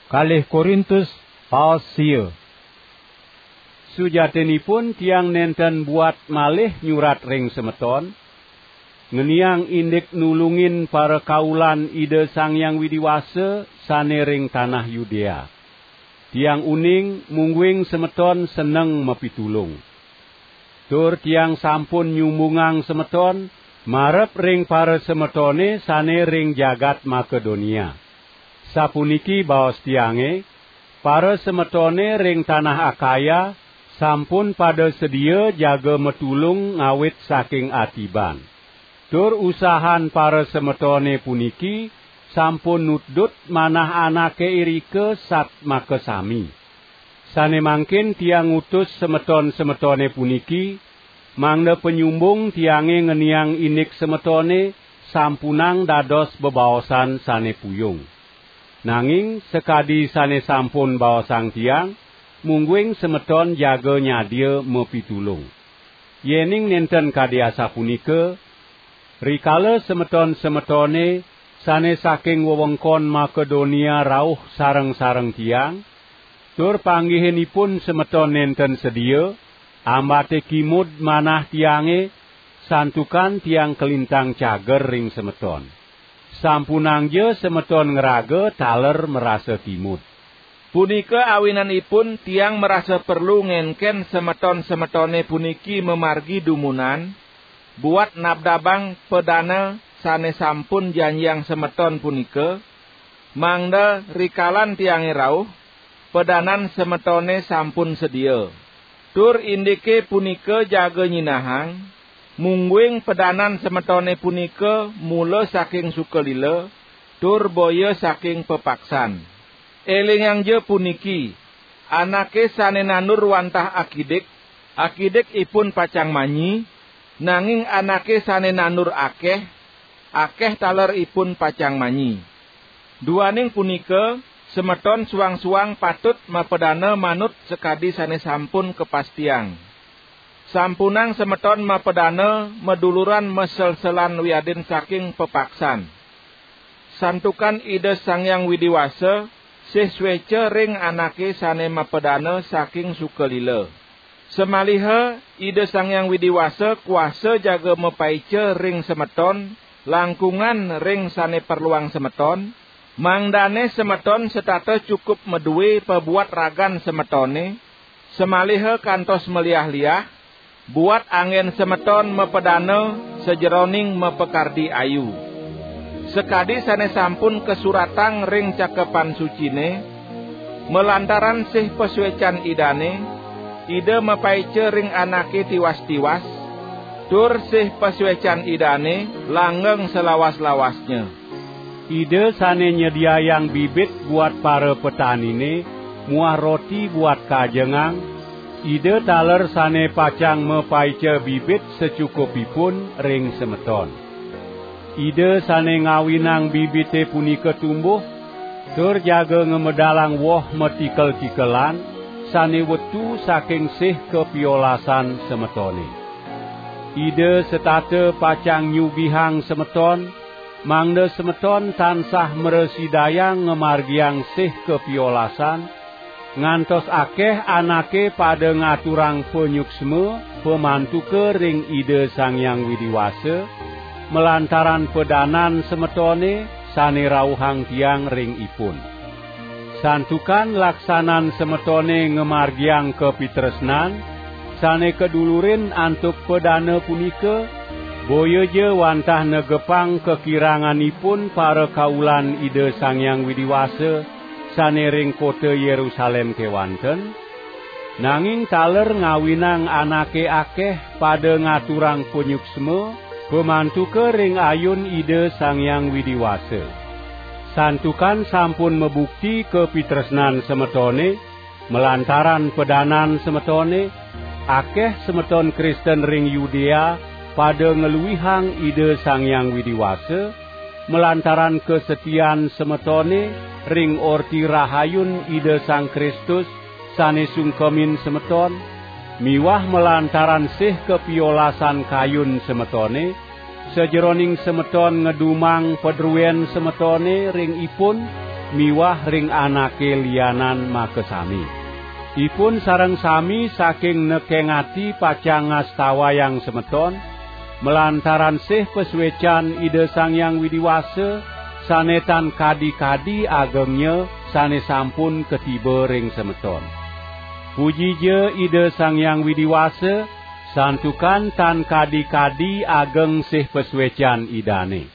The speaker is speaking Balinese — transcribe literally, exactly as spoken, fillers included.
Kalih Korintus, pasal sia. Sujatinipun tiang nenten buat malih nyurat ring semeton, ngeniang indik nulungin parakaulan Ida Sang Hyang Widi Wasa sane ring tanah Yudea. Tiang uning mungguing semeton seneng mapitulung. Tur tiang sampun nyumbungang semeton marep ring parasemetone sane ring jagat Makedonia. Sapuniki baos tiange, parasemetone ring tanah Akaya sampun pada sedia jaga matulung ngawit saking atiban. Tur usahan parasemetone puniki sampun nudut manah anake irika sat makasami. Sane mangkin tiang ngutus semeton-semetone puniki, mangda panyumbung tiange ngeniang indik semetone sampunang dados bebaosan sane puyung. Nanging sakadi sane sampun baosang tiang, mungguing semeton jaga nyadia mapitulung. Yening nenten kadi asapunika, rikala semeton-semetone sane saking wewengkon Makedonia rauh sareng-sareng tiang, tur panggihinipun semeton nenten sedia, ambate kimud manah tiange, santukan tiang kalintang cager ring semeton. Sampunangja semeton ngraga taler marasa kimud. Punika awinanipun tiang marasa perlu ngenken semeton-semetone puniki mamargi dumunan, buat nabdabang padana sane sampun janjiang semeton punika, mangda rikalan tiange rauh, padanan semetone sampun sedia. Tur indike punika jaga nyinahang, mungguing padanan semetone punika mula saking sukalila, tur boya saking pepaksan. Elingangja puniki, anake sane nandur wantah akidik, akidik ipun pacang manyi, nanging anake sane nandur akeh, akeh taler ipun pacang manyi. Duaning punika, semeton suang-suang patut mapadana manut sakadi sane sampun kapastiang. Sampunang semeton mapadana maduluran maselselan wiadin saking pepaksan. Santukan Ida Sang Hyang Widi Wasa sih sueca ring anake sane mapadana saking sukalila. Samaliha Ida Sang Hyang Widi Wasa kuasa jaga mapaica ring semeton, langkungan ring sane perluang semeton, mangdane semeton setata cukup madue pabuat ragan semetone, samaliha kantos maliah-liah, buat anggen semeton mapadana sajeroning mapakardi ayu. Sakadi sane sampun kasuratang ring Cakepan Sucine, malantaran sih pasuecan Idane, Ida mapaica ring anake tiwas-tiwas, tur sih pasuecan Idane langgeng salawas-lawasnya. Ida sane nyediayang bibit buat para petanine muah roti buat kajengang, Ida taler sane pacang mapaica bibit sacukupipun ring semeton. Ida sane ngawinang bibite punika tumbuh, tur jaga ngamedalang woh matikel-tikelan sane wetu saking sih kapiolasan semetone. Ida setata pacang nyugihang semeton, mangda semeton tansah mrasidayang ngamargiang sih kapiolasan, ngantos akeh anake pada ngaturang panyuksma pamantuka ring Ida Sang Hyang Widi Wasa, malantaran padanan semetone sane rauhang tiang ring ipun. Santukan laksanan semetone ngamargiang kapitresnan sane kadulurin antuk padana punika, boyaja wantah negepang kakiranganipun parakaulan Ida Sang Hyang Widi Wasa sane ring kota Yerusalem kewanten, nanging taler ngawinang anake akeh pada ngaturang panyuksma pamantuka ring ayun Ida Sang Hyang Widi Wasa. Santukan sampun mabukti kapitresnan semetone, malantaran padanan semetone, akeh semeton Kristen ring Yudea pada ngluihang Ida Sang Hyang Widi Wasa, malantaran kasetian semetone ring Orti Rahayun Ida Sang Kristus sane sungkemin semeton, miwah malantaran sih kapiolasan kayun semetone, sajeroning semeton ngedumang padruen semetone ring ipun, miwah ring anake lianan makasami. Ipun sareng sami saking nekeng ati pacang ngastawayang semeton, malantaran sih pasuecan Ida Sang Hyang Widi Wasa, sane tan kadi-kadi agengnya sane sampun katiba ring semeton. Pujija Ida Sang Hyang Widi Wasa, santukan tan kadi-kadi ageng sih pasuecan Idane.